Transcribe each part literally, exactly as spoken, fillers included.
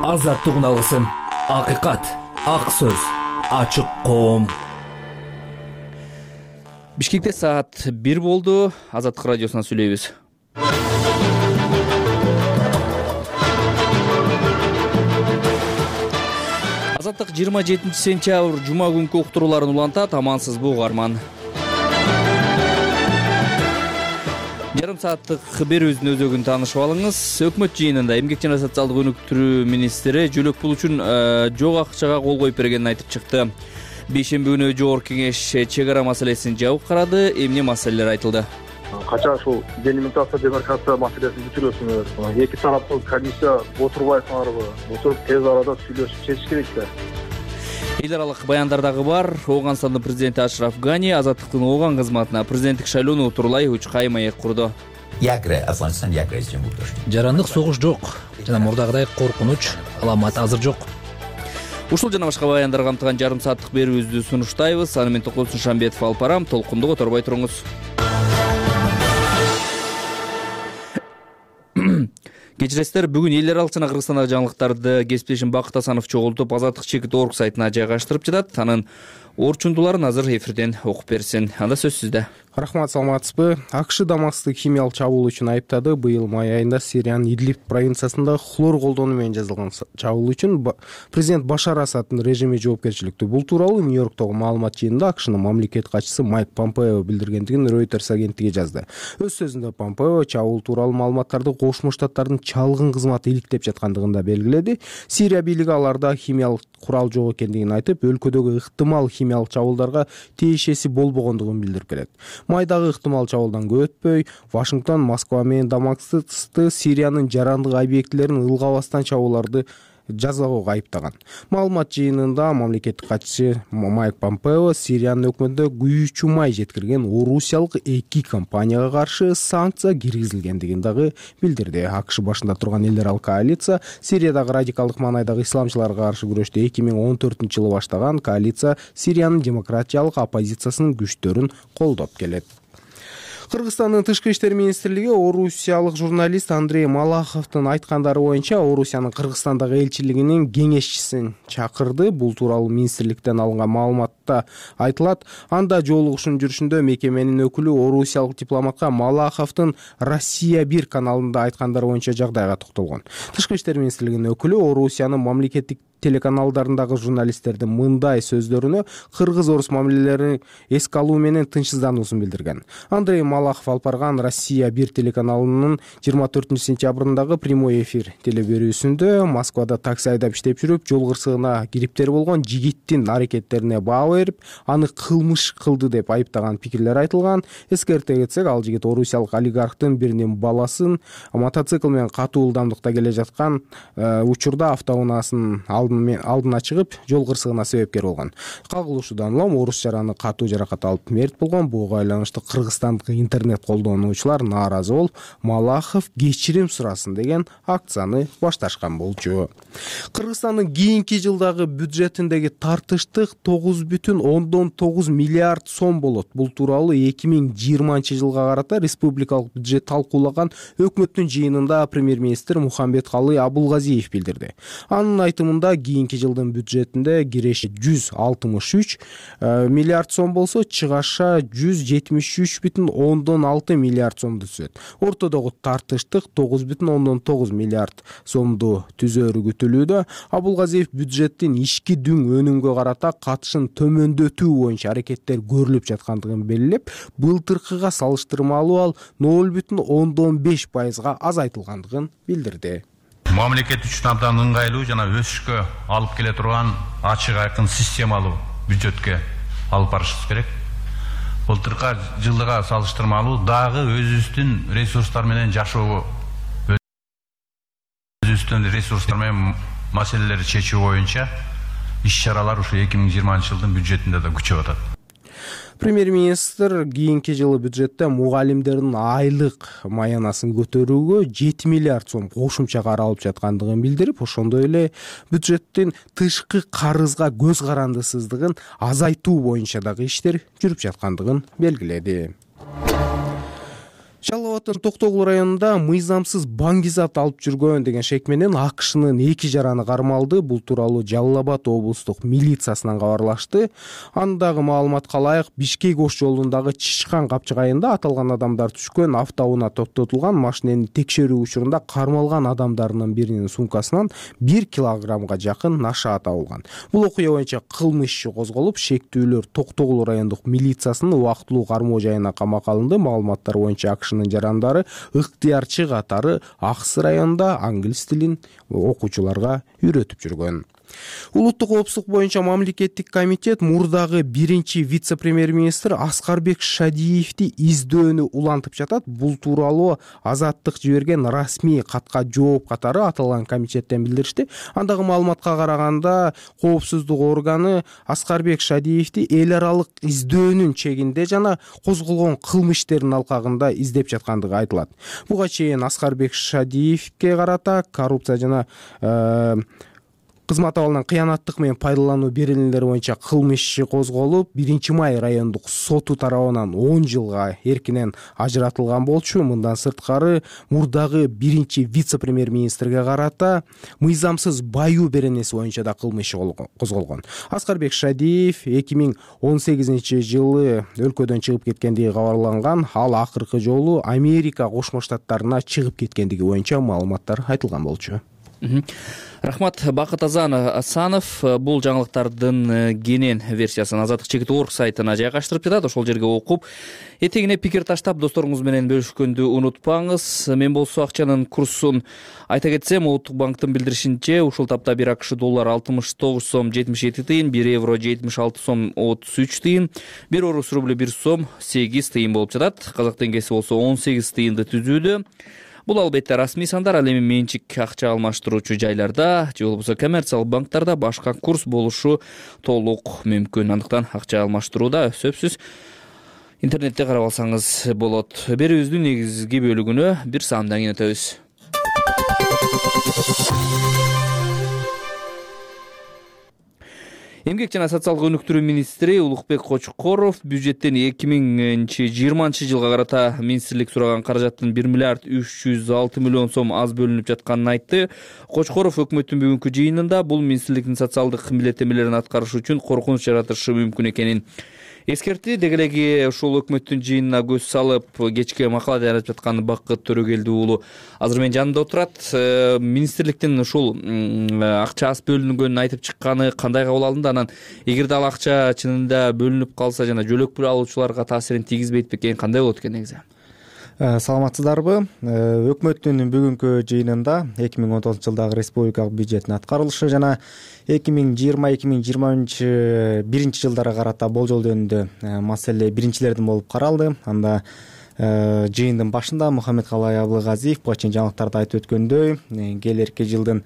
азаттыгын алгысың. Акыйкат, ак сөз, ачык коом. Бишкекте саат бир болду. Азаттык радиосунан сүйлөйбүз. Азаттык жыйырма жетинчи сентябрь жума күнкү уктурууларын улантат. Амансызбы угарман? Жарым сааттык берүүбүздүн өзөгүн таанышып алыңыз. Өкмөт жыйынында эмгек жана социалдык өнүктүрүү министри жөлөк пул үчүн жок акчага кол коюп бергенин айтып чыкты. Бейшемби күнү жогорку кеңеш чек ара маселесин жабык карады. Эмне маселелер айтылды? Качан ушул делимитация, демаркация маселесин бүтүрөсүңөр? Эки тараптуу комиссия отурбайсыңарбы? Отуруп тез арада сүйлөшүп чечиш керек да. Эл аралык баяндар дагы бар. Ооганстандын президенти Ашраф Гани азаттыктын Ооган кызматына президенттик шайлоону утурлай учкай маек курду. Жарандык согуш жок жана мурдагыдай коркунуч, аламат азыр жок. Ушул жана башка баяндар камтыган жарым сааттык берүүбүздү сунуштайбыз. Аны мен Токтосун Шамбетов алып барам. Толкунду которбой туруңуз. Кечиресиздер, бүгүн эл аралык жана Кыргызстандагы жаңылыктарды кесиптешим Бакыт Асанов чогултуп азаттык чекит орг сайтына жайгаштырып жатат. Анын орчундуларын азыр эфирден окуп берсин. Анда сөз сизде. Рахмат, саламатсызбы? АКШ Дамасктык химиялык чабуул үчүн айыптады. Быйыл май айында Сириянын Идлиб провинциясында хлор колдонуу менен жасалган чабуул үчүн президент Башар Асаддын режими жоопкерчиликтүү. Бул тууралуу Нью-Йорктогу маалымат жыйынында АКШнын мамлекет катчысы Майк Помпео билдиргендигин Reuters агенттиги жазды. Өз сөзүндө Помпео чабуул тууралуу маалыматтарды Кошмо Штаттардын чалгын кызматы иликтеп жаткандыгын да белгиледи. Сирия бийлиги аларда химиялык курал жок экендигин айтып, өлкөдөгү ыктымал химиялык чабуулдарга тиешеси болбогондугун билдирип келет. Майдагы ыктымал чабуулдан көп өтпөй, Вашингтон Москва менен Дамаскты Сириянын жарандык объектилерин ылгабастан чабууларды жазууга айыптаган. Маалымат жыйынында мамлекеттик катчысы Майк Помпео Сириянын өкмөтүнө күйүүчү май жеткирген орусиялык эки компанияга каршы санкция киргизилгендигин дагы билдирди. АКШ башында турган эл аралык коалиция Сириядагы радикалдык маанайдагы исламчыларга каршы күрөштү эки миң он төртүнчү жылы баштаган коалиция Сириянын демократиялык оппозициясынын күчтөрүн колдоп келет. Кыргызстандын тышкы иштер министрлиги орусиялык журналист Андрей Малаховдун айткандары боюнча Орусиянын Кыргызстандагы элчилигинин кеңешчисин чакырды. Бул тууралуу министрликтен алынган маалыматта айтылат. Анда жолугушуунун жүрүшүндө мекеменин өкүлү орусиялык дипломатка Малаховдун Россия бир каналында айткандары боюнча жагдайга токтолгон. Тышкы иштер министрлигинин өкүлү Орусиянын мамлекеттик телеканалдарындагы журналисттердин мындай сөздөрүнө кыргыз-орус мамилелерин эске алуу менен тынчсыздануусун билдирген. Андрей Малахов алып барган Россия бир телеканалынын жыйырма төртүнчү сентябрындагы прямой эфир телеберүүсүндө Москвада такси айдап иштеп жүрүп, жол кырсыгына кириптер болгон жигиттин аракеттерине баа берип, аны кылмыш кылды деп айыптаган пикирлер айтылган. Эскерте кетсек, ал жигит орусиялык олигархтын биринин баласын мотоцикл менен катуу ылдамдыкта келе жаткан учурда автоунаасынын алдына чыгып, жол кырсыгына себепкер болгон. Кагылышуудан улам орус жараны катуу жаракат алып мерт болгон. Буга байланыштуу кыргызстандык интернет колдонуучулар нааразы болуп, Малахов кечирим сурасын деген акцияны башташкан болчу. Кыргызстандын кийинки жылдагы бюджетиндеги тартыштык тогуз бүтүн ондон тогуз миллиард сом болот. Бул тууралуу эки миң жыйырманчы жылга карата республикалык бюджет талкуулаган өкмөттүн жыйынында премьер-министр Мухамбеткалый Абулгазиев билдирди. Анын айтымында кийинки жылдын бюджетинде киреше жүз алтымыш үч миллиард сом болсо, чыгаша жүз жетимиш үч бүтүн ондон алты миллиард сомду түзөт. Ортодогу тартыштык тогуз бүтүн ондон тогуз миллиард сомду түзөрү күтүлүүдө. Абулгазиев бюджеттин ички дүң өнүмгө карата катышын төмөндөтүү боюнча аракеттер көрүлүп жаткандыгын белгилеп, былтыркыга салыштырмалуу ал ноль бүтүн ондон беш пайызга азайтылгандыгын билдирди. Мамлекет үчүн абдан ыңгайлуу жана өсүшкө алып келе турган ачык айкын системалуу бюджетке алып барышыбыз керек. Былтыркы жылдыга салыштырмалуу дагы өзүбүздүн ресурстар менен жашоо, өзүбүздүн ресурстар менен маселелерди чечүү боюнча иш-чаралар ушу эки миң жыйырманчы жылдын бюджетинде да күчөп атат. Премьер-министр кийинки жылы бюджетте мугалимдердин айлык маянасын көтөрүүгө жети миллиард сом кошумча каралып жаткандыгын билдирип, ошондой эле бюджеттин тышкы карызга көз карандысыздыгын азайтуу боюнча дагы иштер жүрүп жаткандыгын белгиледи. Жалал Абадтын Токтогул районунда мыйзамсыз баңгизат алып жүргөн деген шек менен АКШнын эки жараны кармалды. Бул тууралуу Жалал Абад облустук милициясынан кабарлашты. Андагы маалыматка ылайык, Бишкек Ош жолундагы Чишкан капчыгайында аталган адамдар түшкөн автоунаа токтотулган. Машинени текшерүү учурунда кармалган адамдарынын биринин сумкасынан бир килограммга жакын наша табылган. Бул окуя боюнча кылмыш иши козголуп, шектүүлөр Токтогул райондук милициясынын убактылуу кармоо жайына камакка алынды. Маалыматтар боюнча АКШнын жарандары ыктыярчы катары Аксы районунда англис тилин окуучуларга үйрөтүп жүргөн. Улуттук коопсуздук боюнча мамлекеттик комитет мурдагы биринчи вице-премьер-министр Аскарбек Шадиевди издөөнү улантып жатат. Бул тууралуу Азаттык жиберген расмий катка жооп катары аталган комитеттен билдиришти. Андагы маалыматка караганда, коопсуздук органы Аскарбек Шадиевди эл аралык издөөнүн чегинде жана козголгон кылмыш иштеринин алкагында издеп жаткандыгы айтылат. Буга чейин Аскарбек Шадиевге карата коррупция жана кызмат абалынан кыянаттык менен пайдалануу берилүүлөрү боюнча кылмыш иши козголуп, биринчи май райондук соту тарабынан он жылга эркинен ажыратылган болчу. Мындан сырткары мурдагы биринчи вице-премьер-министрге карата мыйзамсыз баюу беренеси боюнча да кылмыш иши козголгон. Аскарбек Шадиев эки миң он сегизинчи жылы өлкөдөн чыгып кеткендиги кабарланган. Ал акыркы жолу Америка Кошмо Штаттарына чыгып кеткендиги боюнча маалыматтар айтылган болчу. Рахмат. Бакыт Асанов бул жаңылыктардын кенен версиясын Азаттык чекит точка орг сайтына жайгаштырып жатат. Ошол жерге окуп, этегине пикир таштап, досторуңуз менен бөлүшкөндү унутпаңыз. Мен болсо акчанын курсун айта кетсем, Улуттук банктын билдиришинче, ушул тапта бир АКШ доллар алтымыш тогуз сом жетимиш эки тыйын, бир евро жетимиш алты сом отуз үч тыйын, бир орус рубль бир сом сегиз тыйын болуп жатат. Казак теңгеси болсо он сегиз тыйынды түзүүдө. Бул албетте расмий сандар, ал эми менчик акча алмаштыруучу жайларда же болбосо коммерциялык банктарда башка курс болушу толук мүмкүн. Андыктан акча алмаштырууда сөзсүз интернетте карап алсаңыз болот. Берүүбүздүн негизги бөлүгүнө бир саамдан кийин өтөбүз. Эмгек жана социалдык өнүктүрүү министри Улукбек Кочкоров бюджеттен эки миң жыйырманчы жылга карата министрлик сураган каражаттын бир миллиард үч жүз алты миллион сом аз бөлүнүп жатканын айтты. Кочкоров өкмөттүн бүгүнкү жыйынында бул министрликтин социалдык милдеттенмелерин аткарыш үчүн коркунуч жаратышы мүмкүн экенин эскертти. Деги эле ушул өкмөттүн жыйынына көз салып, кечке макала даярдап жаткан Бакыт Төрөгелди уулу азыр менин жанымда отурат. Министрликтин ушул акча аз бөлүнгөнүн айтып чыкканы кандай кабыл алынды? Анан эгерде ал акча чынында бөлүнүп калса жана жөлөк пул алуучуларга таасирин тийгизбейт бекен, кандай болот экен негизи? Саламатсыздарбы? Өкмөттүн бүгүнкү жыйынында эки миң он тогузунчу жылдагы республикалык бюджеттин аткарылышы жана эки миң жыйырма эки миң жыйырма биринчи жылдарга карата болжол жөнүндө маселе биринчилерден болуп каралды. Анда жыйындын башында Мухаммедкалай Абылгазиев буга чейин жаңылыктарда айтып өткөндөй, келерки жылдын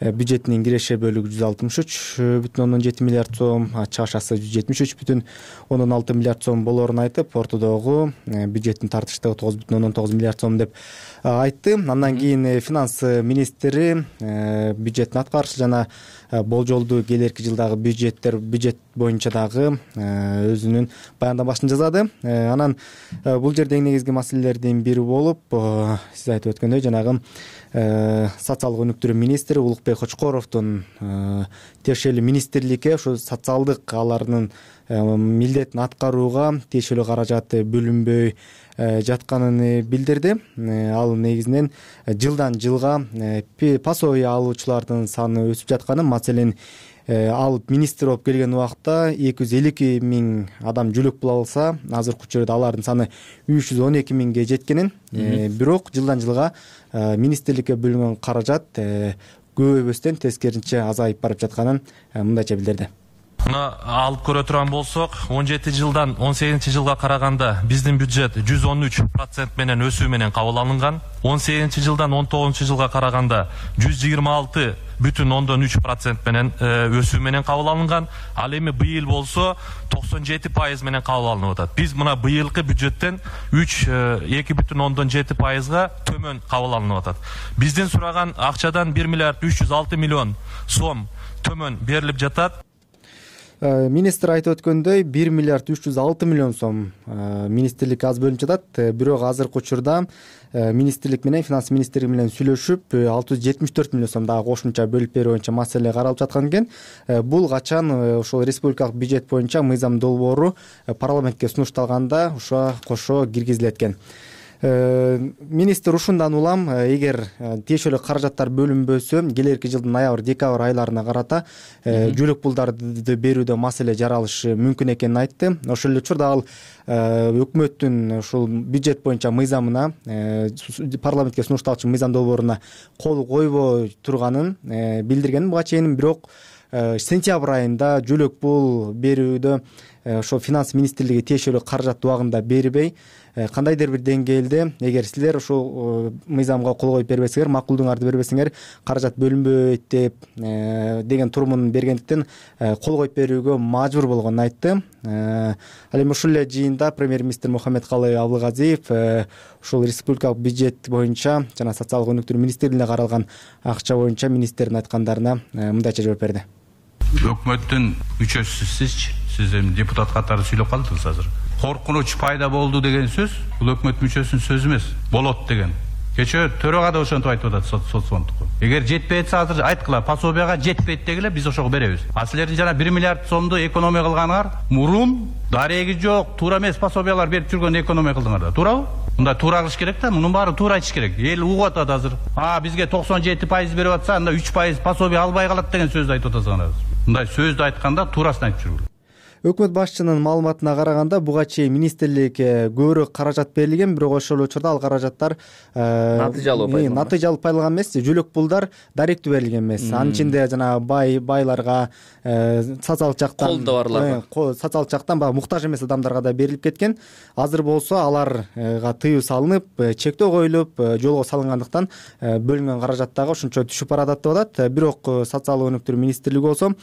бюджетинин киреше бөлүгү жүз алтымыш үч бүтүн ондон жети миллиард сом, чыгашасы жүз жетимиш үч бүтүн ондон алты миллиард сом болоорун айтып, ортодогу бюджеттин тартыштыгы тогуз бүтүн ондон тогуз миллиард сом деп айтты. Андан кийин финанс министри бюджеттин аткарышы жана болжолду келерки жылдагы бюджеттер бюджет боюнча дагы өзүнүн баяндамасын жазады. Анан бул жерде эң негизги маселелердин бири болуп, сиз айтып өткөндөй, жанагы социалдык өнүктүрүү министри Улукбек Кочкоровдун тиешелүү министрликке ушу социалдык алардын милдетин аткарууга тиешелүү каражат бөлүнбөй жатканын билдирди. Ал негизинен жылдан жылга пособие алуучулардын саны өсүп жатканын, маселен ал министр болуп келген убакта эки жүз элүү эки миң адам жөлөк пул алса, азыркы учурда алардын саны үч жүз он эки миңге жеткенин, бирок жылдан жылга министрликке бөлүнгөн каражат көбөйбөстөн тескерисинче азайып барып жатканын мындайча билдирди. Мына алып көрө турган болсок, он жети жылдан он сегизинчи жылга караганда биздин бюджет жүз он үч процент менен өсүү менен кабыл алынган. он сегизинчи жылдан он тогузунчу жылга караганда жүз жыйырма алты бүтүн ондон үч процент менен өсүү менен кабыл алынган. Ал эми быйыл болсо токсон жети пайыз менен кабыл алынып атат. Биз мына быйылкы бюджеттен үч эки бүтүн ондон жети пайызга төмөн кабыл алынып атат. Биздин сураган акчадан бир миллиард үч жүз алты миллион сом төмөн берилип жатат. Министр айтып өткөндөй бир миллиард үч жүз алты миллион сом министрлик аз бөлүнүп жатат. Бирок азыркы учурда министрлик менен финанс министрлиги менен сүйлөшүп алты жүз жетимиш төрт миллион сом дагы кошумча бөлүп берүү боюнча маселе каралып жаткан экен. Бул качан ошол республикалык бюджет боюнча мыйзам долбоору парламентке сунушталганда ошо кошо киргизилет экен. Министр ушундан улам эгер тиешелүү каражаттар бөлүнбөсө келерки жылдын ноябрь декабрь айларына карата жөлөк пулдарды берүүдө маселе жаралышы мүмкүн экенин айтты. Ошол эле учурда ал өкмөттүн ушул бюджет боюнча мыйзамына парламентке сунушталчу мыйзам долбооруна кол койбой турганын билдирген буга чейин. Бирок сентябрь айында жөлөк пул берүүдө ошо финанс министрлиги тиешелүү каражат убагында бербей кандайдыр бир деңгээлде эгер силер ушул мыйзамга кол коюп бербесеңер, макулдуңарды бербесеңер каражат бөлүнбөйт деп деген турумун бергендиктен кол коюп берүүгө мажбур болгонун айтты. Ал эми ушул эле жыйында премьер-министр Мухаммедкалый Абылгазиев ушул республикалык бюджет боюнча жана социалдык өнүктүрүү министрлигине каралган акча боюнча министрдин айткандарына мындайча жооп берди. Өкмөттүн мүчөсү сизчи, сиз эми депутат катары сүйлөп калдыңыз азыр. Коркунуч пайда болду деген сөз бул өкмөт мүчөсүнүн сөзү эмес, болот деген. Кечээ төрага да ошентип айтып атат соцфондко. Эгер жетпей атса азыр айткыла, пособияга жетпейт дегиле, биз ошого беребиз. А силердин жана бир миллиард сомду экономия кылганыңар мурун дареги жок, туура эмес пособиялар берип жүргөн экономия кылдыңар да, туурабы? Мындай туура кылыш керек да, мунун баарын туура айтыш керек. Эл угуп атат азыр. А бизге токсон жети пайыз берип атса, анда үч пайыз пособия албай калат деген сөздү айтып атасыңар. Мындай сөздү айтканда туурасын айтып жүргүлө. Өкмөт башчынын маалыматына караганда буга чейин министрликке көбүрөөк каражат берилген, бирок ошол учурда ал каражаттар натыйжалуу пайдаланган. Натыйжалуу пайдаланган эмес, жөлөк пулдар даректүү берилген эмес. Анын ичинде жана бай байларга, социалдык жактан колдо барларга, социалдык жактан баягы муктаж эмес адамдарга да берилип кеткен. Азыр болсо аларга тыюу салынып, чектөө коюлуп, жолго салынгандыктан бөлүнгөн каражат дагы ошончо түшүп баратат деп атат. Бирок социалдык өнүктүрүү министрлиги болсо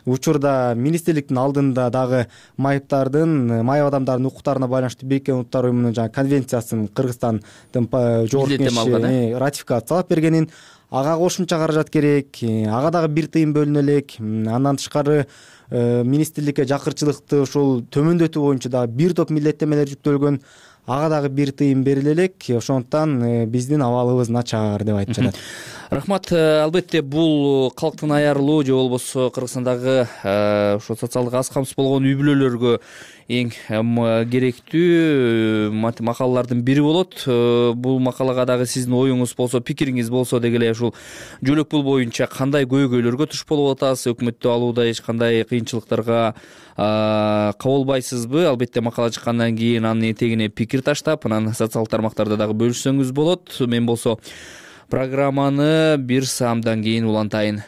учурда министрликтин алдында дагы майыптардын, майып адамдардын укуктарына байланыштуу Бириккен Улуттар уюмунун жана конвенциясын Кыргызстандын жогорку кеңеши ратификациялап бергенин, ага кошумча каражат керек, ага дагы бир тыйын бөлүнө элек. Андан тышкары министрликке жакырчылыкты ушул төмөндөтүү боюнча дагы бир топ милдеттемелер жүктөлгөн, ага дагы бир тыйын бериле элек. Ошондуктан биздин абалыбыз начар деп айтып жатат. Рахмат. Албетте бул калктын аярлуу же болбосо Кыргызстандагы ошо социалдык аз камсыз болгон үй бүлөлөргө эң керектүү макалалардын бири болот. Бул макалага дагы сиздин оюңуз болсо, пикириңиз болсо деги эле ушул жөлөк пул боюнча кандай көйгөйлөргө туш болуп атасыз, өкмөттү алууда эч кандай кыйынчылыктарга кабылбайсызбы? Албетте макала чыккандан кийин анын этегине пикир таштап, анан социалдык тармактарда дагы бөлүшсөңүз болот. Мен болсо программаны бир саамдан кийин улантайын.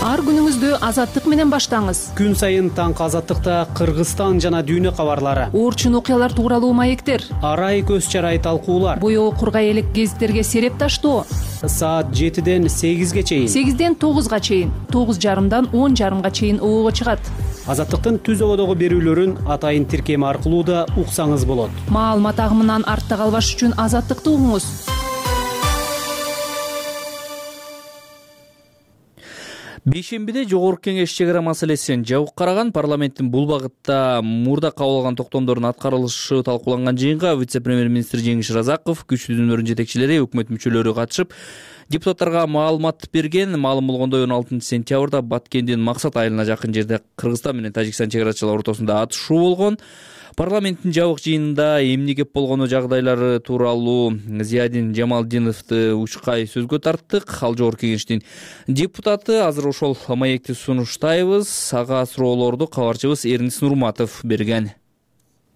Ар күнүңүздү Азаттык менен баштаңыз. Күн сайын таңкы Азаттыкта Кыргызстан жана дүйнө кабарлары, оорчун окуялар тууралуу маектер, арай көз чарай талкуулар, боёо кургай элек гезиттерге сереп таштоо. Саат жетиден сегизге чейин, сегизден тогузга чейин, тогуз жарымдан он жарымга чейин оого чыгат. Азаттыктын түз ободогу берүүлөрүн атайын тиркеми аркылуу да уксаңыз болот. Маалымат агымынан артта калбаш үчүн Азаттыкты угуңуз. Бейшембиде жогорку кеңеш чек ара маселесин жабык караган. Парламенттин бул багытта мурда кабыл алган токтомдордун аткарылышы талкууланган жыйынга вице-премьер-министр Жеңиш Разаков, күчтүү дүнөрдүн жетекчилери, өкмөт мүчөлөрү катышып, депутаттарга маалымат берген. Маалым болгондой он алтынчы сентябрда Баткендин Максат айылына жакын жерде Кыргызстан менен Тажикстан чек арачылар ортосунда атышуу болгон. Парламенттин жабык жыйынында эмне кеп болгону жагдайлары тууралуу Зиядин Жамалдиновду учкай сөзгө тарттык. Ал жогорку кеңештин депутаты. Азыр ошол маекти сунуштайбыз. Ага суроолорду кабарчыбыз Эрнис Нурматов берген.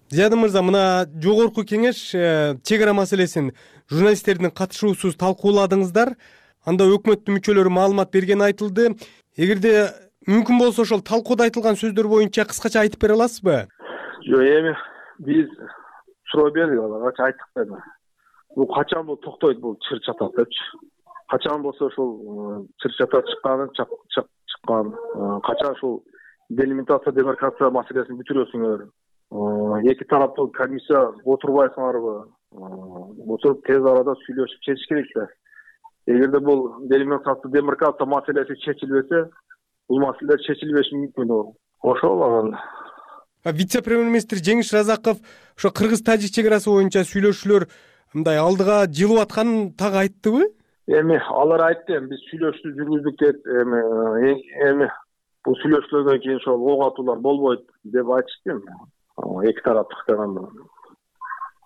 Зиядин мырза, мына жогорку кеңеш чек ара маселесин журналисттердин катышуусуз талкууладыңыздар. Анда өкмөттүн мүчөлөрү маалымат берген айтылды. Эгерде мүмкүн болсо ошол талкууда айтылган сөздөр боюнча кыскача айтып бере аласызбы? Жок, эми биз суроо бердик аларга, айттык да. Бул качан бул токтойт, бул чыр чатат депчи. Качан болсо ошол чыр чатат чыкканы, чыккан, качан ушул делимитация, демаркация маселесин бүтүрөсүңөр. Эки тараптуу комиссия отурбайсыңарбы? Отуруп тез арада сүйлөшүп чечиш керек да. Эгерде бул делимитация, демаркация маселеси чечилбесе, бул маселелер чечилбеши мүмкүн. Ошол анан вице премьер-министр Жеңиш Разаков ошо кыргыз-тажик чек арасы боюнча сүйлөшүүлөр мындай алдыга жылып атканын так айттыбы? Эми алар айтты, эми биз сүйлөшүү жүргүздүк деп, эми эми бул сүйлөшүүлөрдөн кийин ошол ок атуулар болбойт деп айтышты. Эки тараптыктан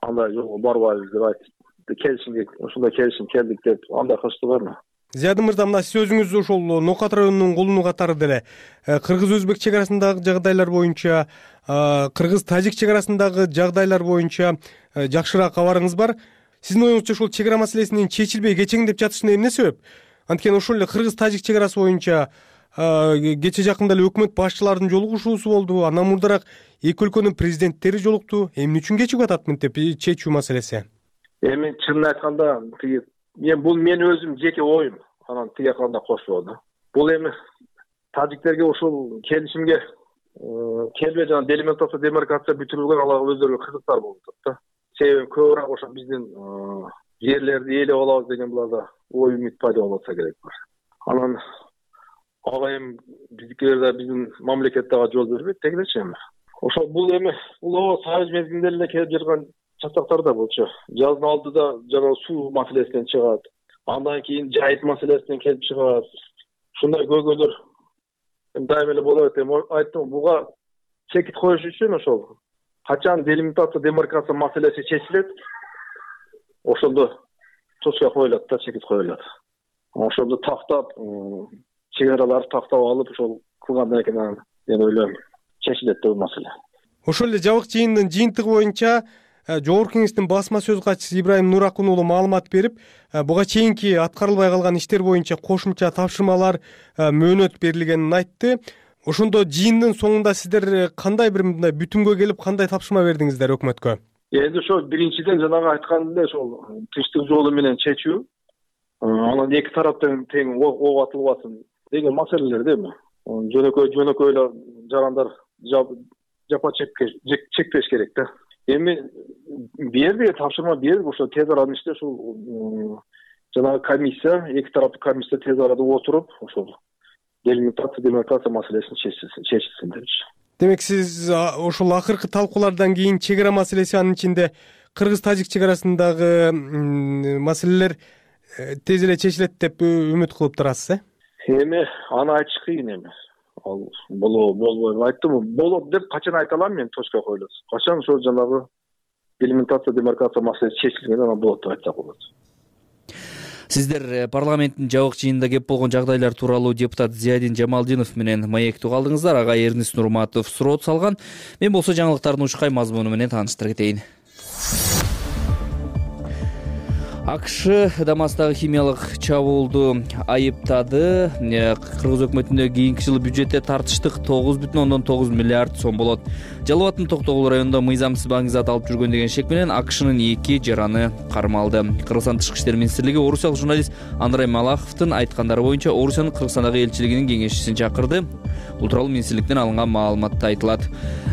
андай жолго барбайбыз деп айтты. Келишимге ушундай келишим келдик деп андай кылыштыбы? Зияда мырза, мына сиз өзүңүз ошол Нокат районунун колуну катары деле кыргыз-өзбек чек арасындагы жагдайлар боюнча, кыргыз-тажик чек арасындагы жагдайлар боюнча жакшыраак кабарыңыз бар. Сиздин оюңузча ошол чек ара маселесинин чечилбей кечеңдеп жатышына эмне себеп? Анткени ошол эле кыргыз-тажик чек арасы боюнча кече жакында эле өкмөт башчыларынын жолугушуусу болду. Андан мурдараак эки өлкөнүн президенттери жолукту. Эмне үчүн кечигип атат мынтип чечүү маселеси? Эми чынын айтканда, мен бул мен өзүм жеке оюм. Анан тиги кандай кошулду. Бул эми тажиктерге ушул келишимге келбей жана делимитация демаркация бүтүрүлгөн алар өздөрү кызыктар болуп атат да. Себеби көбүрөөк ошо биздин жерлерди ээлеп алабыз деген буларда ой үмүт пайда болуп атса керек бар. Анан ага эми биздикилер да биздин мамлекеттеги жол бербейт дегилечи эми. Ошо бул эми улуу союз мезгилинде эле келип жүргөн чатактар да болчу. Жаздын алдыда жана суу маселесинен чыгат. Андан кийин жайыт маселесинен келип чыгат. Ушундай көйгөйлөр дайыма эле болот. Эми айттым, буга чекит коюш үчүн ошол качан делимитация демаркация маселеси чечилет, ошондо точка коюлат да, чекит коюлат. Ошондо тактап, чек араларды тактап алып ошол кылгандан кийин мен ойлойм чечилет бул маселе. Ошол эле жабык жыйындын жыйынтыгы боюнча Жогорку Кеңештин басма сөз катчысы Ибраим Нуракун уулу маалымат берип, буга чейинки аткарылбай калган иштер боюнча кошумча тапшырмалар мөөнөт берилгенин айтты. Ошондо жыйындын соңунда сиздер кандай бир мындай бүтүмгө келип, кандай тапшырма бердиңиздер өкмөткө? Эми ошо биринчиден жанагы айткандай ошол тынчтык жолу менен чечүү, анан эки тараптан тең ок атылбасын деген маселелер да эми. Жөнөкөй жөнөкөй эле жарандар жапа чекпеш керек да. Эми берди, тапшырма берди, ошо тез арада иште ушул жанагы комиссия, эки тараптуу комиссия тез арада отуруп, ошол делимитация демаркация маселесин чечилсин депчи. Демек сиз ошол акыркы талкуулардан кийин чек ара маселеси, анын ичинде кыргыз-тажик чек арасындагы маселелер тез эле чечилет деп үмүт кылып турасыз, э? Эми аны айтыш кыйын эми. Ал болобу, болбойбу айттым, болот деп качан айта алам мен, точка коюлат. Качан ошол жанагы делимитация демаркация маселеси чечилген, анан болот деп айтсак болот. Сиздер парламенттин жабык жыйынында кеп болгон жагдайлар тууралуу депутат Зиядин Жамалдинов менен маектүү калдыңыздар. Ага Эрнис Нурматов суроо салган. Мен болсо жаңылыктардын ушкай мазмуну менен тааныштыра кетейин. АКШ Дамастагы химиялык чабуулду айыптады. Кыргыз өкмөтүндө кийинки жылы бюджетте тартыштык тогуз бүтүн ондон тогуз миллиард сом болот. Жалал абаддын Токтогул районунда мыйзамсыз баңгизат алып жүргөн деген шек менен АКШнын эки жараны кармалды. Кыргызстан Тышкы иштер министрлиги орусиялык журналист Андрей Малаховдун айткандары боюнча Орусиянын Кыргызстандагы элчилигинин кеңешчисин чакырды. Бул тууралуу министрликтен алынган маалыматта айтылат.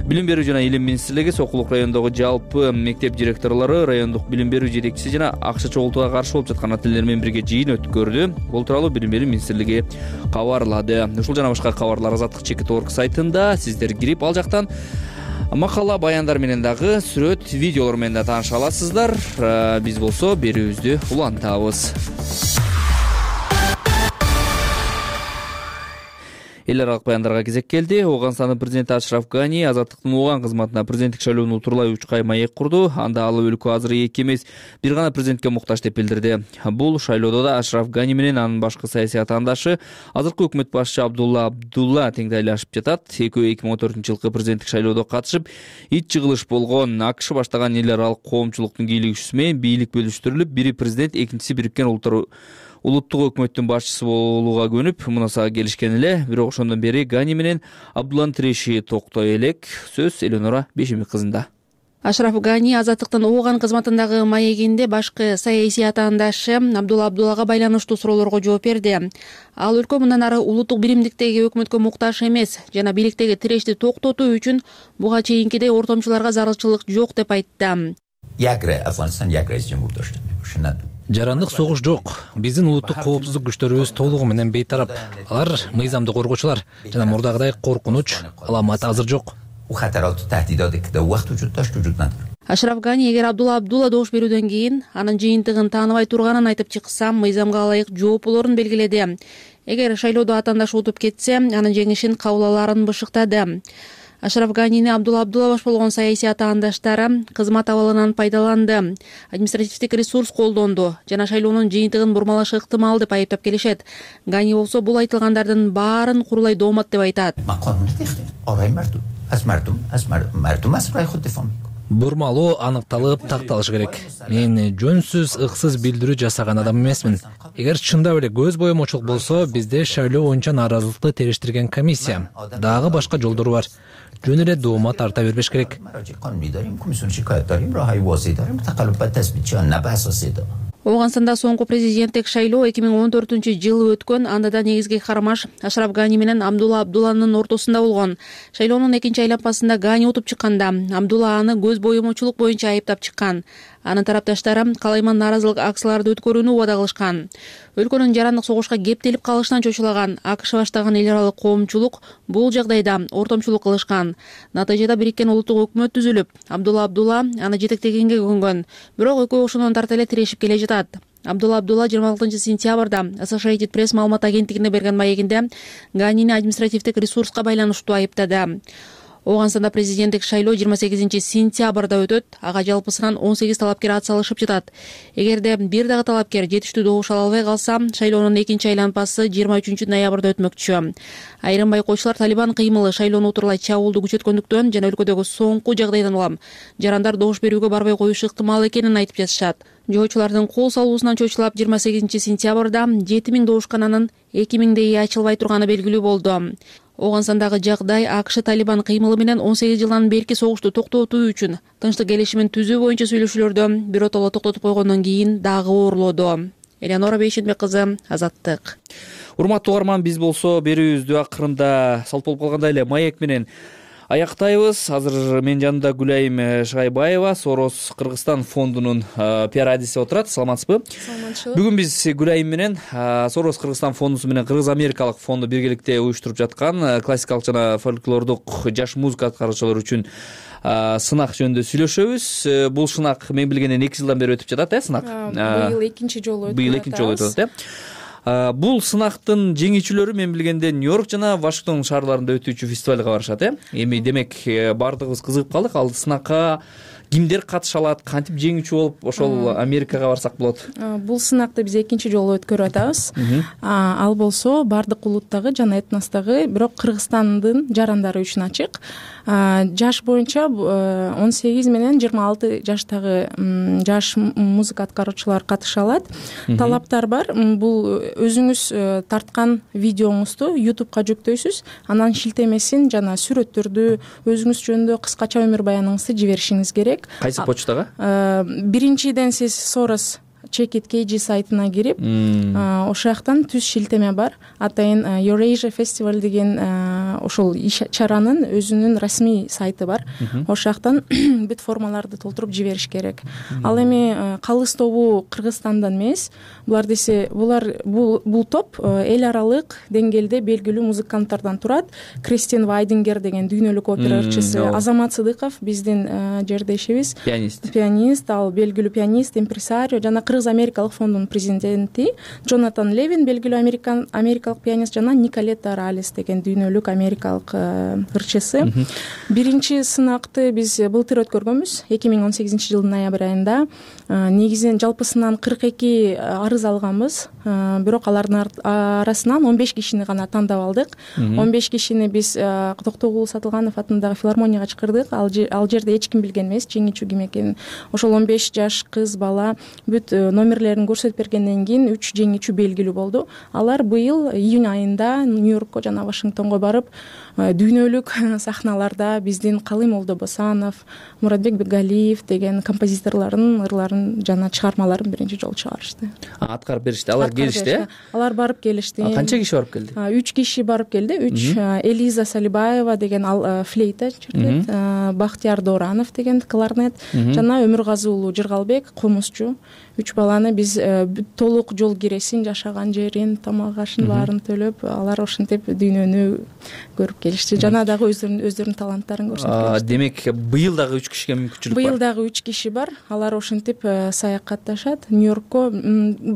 Билим берүү жана илим министрлиги Сокулук районундагы жалпы мектеп директорлору, райондук билим берүү жетекчиси жана акча чогултууга каршы болуп жаткан ата энелер менен бирге жыйын өткөрдү. Бул тууралуу Билим берүү министрлиги кабарлады. Ушул жана башка кабарлар Азаттык чекит орг сайтында. Сиздер кирип ал жактан макала, баяндар менен дагы сүрөт, видеолор менен да тааныша аласыздар. Биз болсо берүүбүздү улантабыз. Эл аралык баяндарга кезек келди. Ооганстандын президенти Ашраф Гани Азаттыктын Ооган кызматына президенттик шайлоонун утурлай учкай маек курду. Анда ал өлкө азыр эки эмес, бир гана президентке муктаж деп билдирди. Бул шайлоодо да Ашраф Гани менен анын башкы саясий атаандашы азыркы өкмөт башчы Абдулла Абдулла теңдейлашып жатат. Экөө эки миң он төртүнчү жылкы президенттик шайлоодо катышып, ит жыгылыш болгон. АКШ баштаган эл аралык коомчулуктун бийлигчиси менен бийлик бөлүштүрүлүп, бири президент, экинчиси Бириккен Улуттар улуттук өкмөттүн башчысы болууга көнүп, мунасага келишкен эле. Бирок ошондон бери Гани менен Абдулланын тиреши токтой элек. Сөз Эленора Бешемик кызында. Ашраф Гани Азаттыктын Ооган кызматындагы маегинде башкы саясий атаандашы Абдулла Абдуллага байланыштуу суроолорго жооп берди. Ал өлкө мындан ары улуттук биримдиктеги өкмөткө муктаж эмес жана бийликтеги тирешти токтотуу үчүн буга чейинкидей ортомчуларга зарылчылык жок деп айтты. Jak Afganistan, jak Cumhurbaşkanı. Şundan жарандык согуш жок. Биздин улуттук коопсуздук күчтөрүбүз толугу менен бейтарап. Алар мыйзамды коргоочулар жана мурдагыдай коркунуч, аламат азыр жок. Ашраф Гани эгер Абдулла Абдулла добуш берүүдөн кийин анын жыйынтыгын тааныбай турганын айтып чыкса, мыйзамга ылайык жооп болорун белгиледи. Эгер шайлоодо атаандашы утуп кетсе, анын жеңишин кабыл аларын бышыктады. Ашраф Ганини Абдулла Абдулла баш болгон саясий атаандаштары кызмат абалынан пайдаланды, административдик ресурс колдонду жана шайлоонун жыйынтыгын бурмалашы ыктымал деп айыптап келишет. Гани болсо бул айтылгандардын баарын курулай доомат деп айтат. Бурмалоо аныкталып, такталышы керек. Мен жөнсүз, ыксыз билдирүү жасаган адам эмесмин. Эгер чындап эле көз боемочулук болсо, бизде шайлоо боюнча нааразылыкты териштирген комиссия, дагы башка жолдору бар. Жөн эле доомат тарта бербеш керек. Ооганстанда соңку президенттик шайлоо эки миң он төртүнчү жылы өткөн. Анда да негизги кармаш Ашраф Гани менен Абдулла Абдулланын ортосунда болгон. Шайлоонун экинчи айланпасында Гани утуп чыкканда, Абдулла аны көз боемочулук боюнча айыптап чыккан. Анын тарапташтары калайман нааразылык акцияларды өткөрүүнү убада кылышкан. Өлкөнүн жарандык согушка кептелип калышынан чочулаган АКШ баштаган эл аралык коомчулук бул жагдайда ортомчулук кылышкан. Натыйжада бириккен улуттук өкмөт түзүлүп, Абдулла Абдулла аны жетектегенге көнгөн. Бирок экөө ошондон тарта эле тирешип келе жатат. Абдулла Абдулла жыйырма алтынчы сентябрда Associated Press маалымат агенттигине берген маегинде Ганини административдик ресурска байланыштуу айыптады. Ооганстанда президенттик шайлоо жыйырма сегизинчи сентябрда өтөт. Ага жалпысынан он сегиз талапкер ат салышып жатат. Эгерде бир дагы талапкер жетиштүү добуш ала албай калса, шайлоонун экинчи айланпасы жыйырма үчүнчү ноябрда өтмөкчү. Айрым байкоочулар Талибан кыймылы шайлоону утурлай чабуулду күчөткөндүктөн жана өлкөдөгү соңку жагдайдан улам жарандар добуш берүүгө барбай коюшу ыктымал экенин айтып жатышат. Жоочулардын кол салуусунан чочулап жыйырма сегизинчи сентябрда жети миң добушкананын эки миңдейи ачылбай турганы белгилүү болду. Ооганстандагы жагдай АКШ Талибан кыймылы менен он сегиз жылдан берки согушту токтотуу үчүн тынчтык келишимин түзүү боюнча сүйлөшүүлөрдө биротоло токтотуп койгондон кийин дагы оорлоодо. Элеонора Бейшенбек кызы, Азаттык. Урматтуу угарман, биз болсо берүүбүздү акырында салт болуп калгандай эле маек менен аяктайбыз. Азыр менин жанымда Гүлайым Шагайбаева, Сорос Кыргызстан фондунун пиар адиси отурат. Саламатсызбы? Саламатчылык. Бүгүн биз Гүлайым менен Сорос Кыргызстан фондусу менен Кыргыз Америкалык фонду биргеликте уюштуруп жаткан классикалык жана фольклордук жаш музыка аткаруучулар үчүн сынак жөнүндө сүйлөшөбүз. Бул сынак мен билгенден эки жылдан бери өтүп жатат, э, сынак. Быйыл экинчи жолу өтүп жатат. Быйыл экинчи жолу өтүп жатат, э. Бул сынактын жеңүүчүлөрү мен билгенде Нью-Йорк жана Вашингтон шаарларында өтүүчү фестивалга барышат, э. Эми демек баардыгыбыз кызыгып калдык. Ал сынакка кимдер катыша алат, кантип жеңүүчү болуп ошол Америкага барсак болот? Бул сынакты биз экинчи жолу өткөрүп атабыз. Ал болсо баардык улуттагы жана этностогу, бирок Кыргызстандын жарандары үчүн ачык. Жаш боюнча он сегиз менен жыйырма алты жаштагы жаш музыка аткаруучулар катыша алат. Талаптар бар. Бул өзүңүз тарткан видеоңузду ютубка жүктөйсүз, анан шилтемесин жана сүрөттөрдү, өзүңүз жөнүндө кыскача өмүр баяныңызды жиберишиңиз керек. Кайсы почтага? Биринчиден сиз Soros Check It K G сайтына кирип, ошол жактан түз шилтеме бар. Атайын Eurasia Festival деген ошол чаранын өзүнүн расмий сайты бар. Ошол жактан бүт формаларды толтуруп жибериш керек. Ал эми калыс тобу Кыргызстандан эмес. Булар десе, булар бул топ эл аралык деңгээлде белгилүү музыканттардан турат. Кристин Вайдингер деген дүйнөлүк опера ырчысы, Азамат Сыдыков биздин жердешибиз, пианист. Пианист, ал белгилүү пианист, импресарио жана Кыргыз Америкалык фондунун президенти Джонатан Левин, белгилүү американ америкалык пианист жана Николетта Ралес деген дүйнөлүк америкалык ырчысы. Биринчи сынакты биз былтыр өткөргөнбүз, эки миң он сегизинчи жылдын ноябрь айында. Негизинен жалпысынан кырк эки арыз алганбыз, бирок алардын арасынан он беш кишини гана тандап алдык. он беш кишини биз Токтогул Сатылганов атындагы филармонияга чакырдык. Ал жерде эч ким билген эмес жеңүүчү ким экенин. Ошол он беш жаш кыз бала бүт номерлерин көрсөтүп бергенден кийин үч жеңүүчү белгилүү болду. Алар быйыл июнь айында Нью-Йоркко жана Вашингтонго барып, дүйнөлүк сахналарда биздин Калый Молдобосанов, Муратбек Бегалиев деген композиторлордун ырларын жана чыгармаларын биринчи жолу чыгарышты. Аткарып беришти. Алар келишти, э? Алар барып келишти. Канча киши барып келди? үч киши барып келди. үч Элиза Салибаева деген ал флейта чертет, Бактияр Доранов деген кларнет жана Өмүргазы уулу Жыргалбек комузчу. үч баланы биз толук жол киресин, жашаган жерин, тамак ашын баарын төлөп, алар ошентип дүйнөнү көрүп келишти. Жана дагы өздөрүнүн өздөрүнүн таланттарын көрсөткөн. Демек быйыл дагы үч кишиге мүмкүнчүлүк бар. Быйыл дагы үч киши бар. Алар ошентип саякатташат. Нью-Йоркко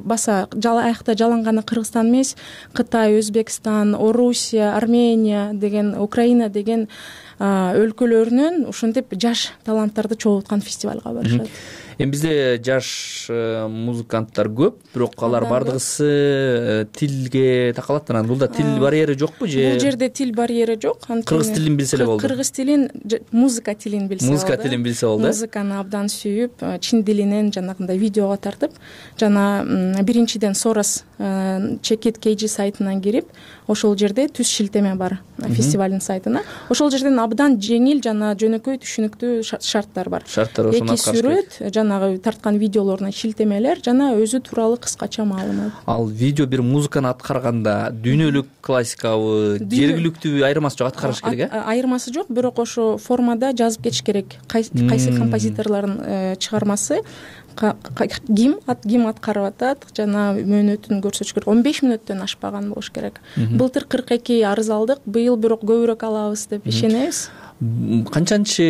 баса аякта жаланганы Кыргызстан эмес, Кытай, Өзбекстан, Орусия, Армения деген, Украина деген өлкөлөрүнөн ушинтип жаш таланттарды чогулткан фестивалга барышат. Эми бизде жаш музыканттар көп, бирок алар бардыгысы тилге такалат. Анан бул да тил барьери жокпу же? Бул жерде тил барьери жок. Кыргыз тилин билсе эле болду. Кыргыз тилин, музыка тилин билсе болду. Музыка тилин билсе болду. Музыканы абдан сүйүп, чин дилинен жанагындай видеого тартып, жана биринчиден Soros Check-it кей джи сайтынан кирип, ошол жерде түз шилтеме бар фестивалдын сайтына. Ошол жерден абдан жеңил жана жөнөкөй түшүнүктүү шарттар бар. Шарттар ошону эки сүрөт, жанагы тарткан видеолоруна шилтемелер жана өзү тууралуу кыскача маалымат. Ал видео бир музыканы аткарганда дүйнөлүк классикабы, жергиликтүүбү айырмасы жок, аткарыш керек э? Айырмасы жок, бирок ошо формада жазып кетиш керек. Кайсы композиторлордун чыгармасы ким ким аткарып атат жана мөөнөтүн көрсөтүш керек. он беш мүнөттөн ашпаган болуш керек. Былтыр кырк эки арыз алдык, быйыл бирок көбүрөөк алабыз деп ишенебиз. Канчанчы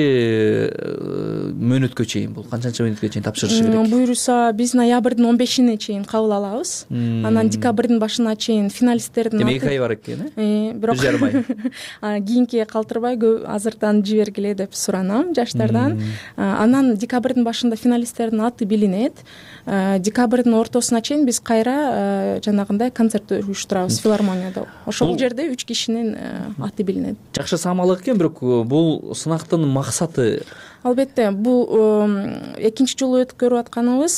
мөөнөткө чейин бул? Канчанчы мөөнөткө чейин тапшырышы керек? Буюрса биз ноябрдын он бешине чейин кабыл алабыз. Анан декабрдын башына чейин финалисттердин аты. эки ай бар экен, э? Бирок кийинкиге калтырбай азыртан жибергиле деп суранам жаштардан. Анан декабрдын башында финалисттердин аты билинет. Декабрдын ортосуна чейин биз кайра жанагындай концерт уюштурабыз филармонияда. Ошол жерде үч кишинин аты билинет. Жакшы самалык экен, бирок бул сынактын максаты? Албетте, бул экинчи жолу өткөрүп атканыбыз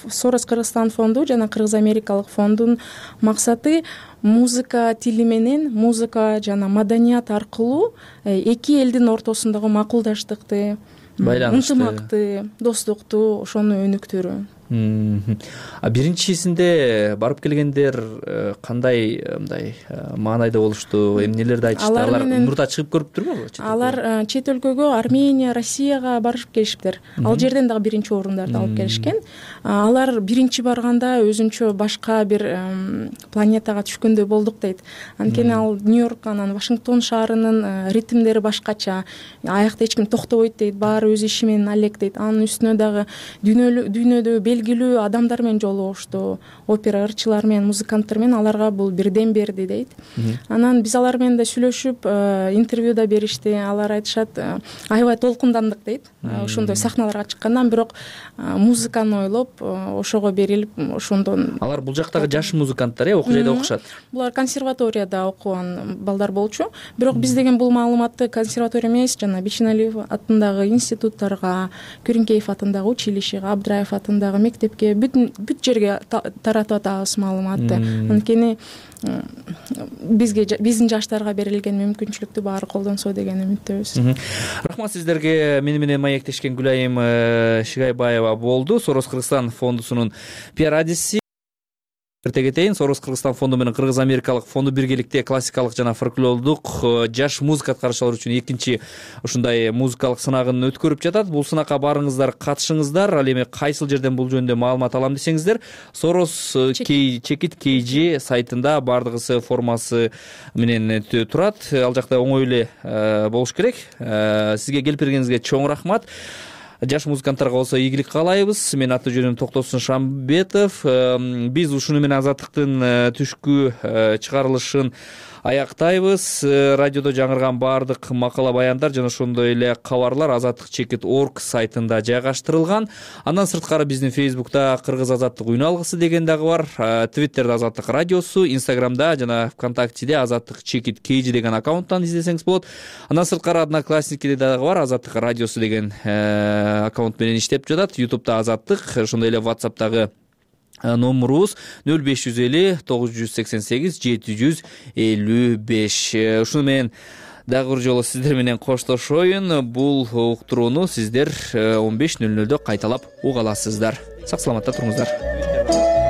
Soros Кыргызстан фонду жана Кыргыз Америкалык фондунун максаты музыка тили менен, музыка жана маданият аркылуу эки элдин ортосундагы макулдаштыкты, ынтымакты, достукту ошону өнүктүрүү. А биринчисинде барып келгендер кандай мындай маанайда болушту, эмнелерди айтышты? Алар мурда чыгып көрүптүрбү? Алар чет өлкөгө, Армения, Россияга барышып келишиптир. Ал жерден дагы биринчи орундарды алып келишкен. Алар биринчи барганда өзүнчө башка бир планетага түшкөндөй болдук дейт. Анткени ал Нью-Йорк анан Вашингтон шаарынын ритмдери башкача. Аякта эч ким токтобойт дейт, баары өз иши менен алек дейт. Анын үстүнө дагы дүйнөдө белгилүү адамдар менен жолугушту, опера ырчылар менен, музыканттар менен, аларга бул бирден берди дейт. Анан биз алар менен да сүйлөшүп, интервьюда беришти. Алар айтышат, аябай толкундандык дейт. Ошондой сахналарга чыккандан, бирок музыканы ойлоп, ошого берилип, ошондон. Алар бул жактагы жаш музыканттар, э, окуу жайда окушат. Булар консерваторияда окуган балдар болчу. Бирок биз деген бул маалыматты консерватория эмес, жана Бишеналиев атындагы институттарга, Күрүнкеев атындагы училищеге, Абдыраев атындагы мектепке, бүт бүт жерге таратып атабыз маалыматты. Анткени бизге, биздин жаштарга берилген мүмкүнчүлүктү баары колдонсо деген үмүттөбүз. Рахмат сиздерге. Мени менен маектешкен Гүлайым Шигайбаева болду. Soros Кыргызстан фондусунун пиар адиси. Эрте кетейин, Soros Кыргызстан фонду менен Кыргыз Америкалык фонду биргеликте классикалык жана фольклордук жаш музыка аткаручулар үчүн экинчи ушундай музыкалык сынагын өткөрүп жатат. Бул сынакка барыңыздар, катышыңыздар. Ал эми кайсыл жерден бул жөнүндө маалымат алам десеңиздер, Soros Check-it кей джи сайтында бардыгысы формасы менен турат. Ал жакта оңой эле болуш керек. Сизге келип бергениңизге чоң рахмат. Жаш музыканттарга болсо ийгилик каалайбыз. Менин аты жөнүм Токтосун Шамбетов. Биз ушуну менен Азаттыктын түшкү чыгарылышын аяктайбыз. Радиодо жаңырган баардык макала баяндар жана ошондой эле кабарлар азаттык чекит точка орг сайтында жайгаштырылган. Андан сырткары биздин Фейсбукта Кыргыз Азаттык үн алгысы деген дагы бар. Твиттерде Азаттык радиосу, Инстаграмда жана ВКонтактеде Азаттык чекит кей джи деген аккаунттан издесеңиз болот. Андан сырткары Одноклассникиде дагы бар Азаттык радиосу деген аккаунт менен иштеп жатат. Ютубта Азаттык, ошондой эле WhatsApp'тагы номерубуз нөл беш жүз элүү тогуз жүз сексен сегиз жети жүз элүү беш. Ушуну менен дагы бир жолу сиздер менен коштошоюн. Бул уктурууну сиздер он беш нөл нөлдө кайталап уга аласыздар. Сак саламатта туруңуздар.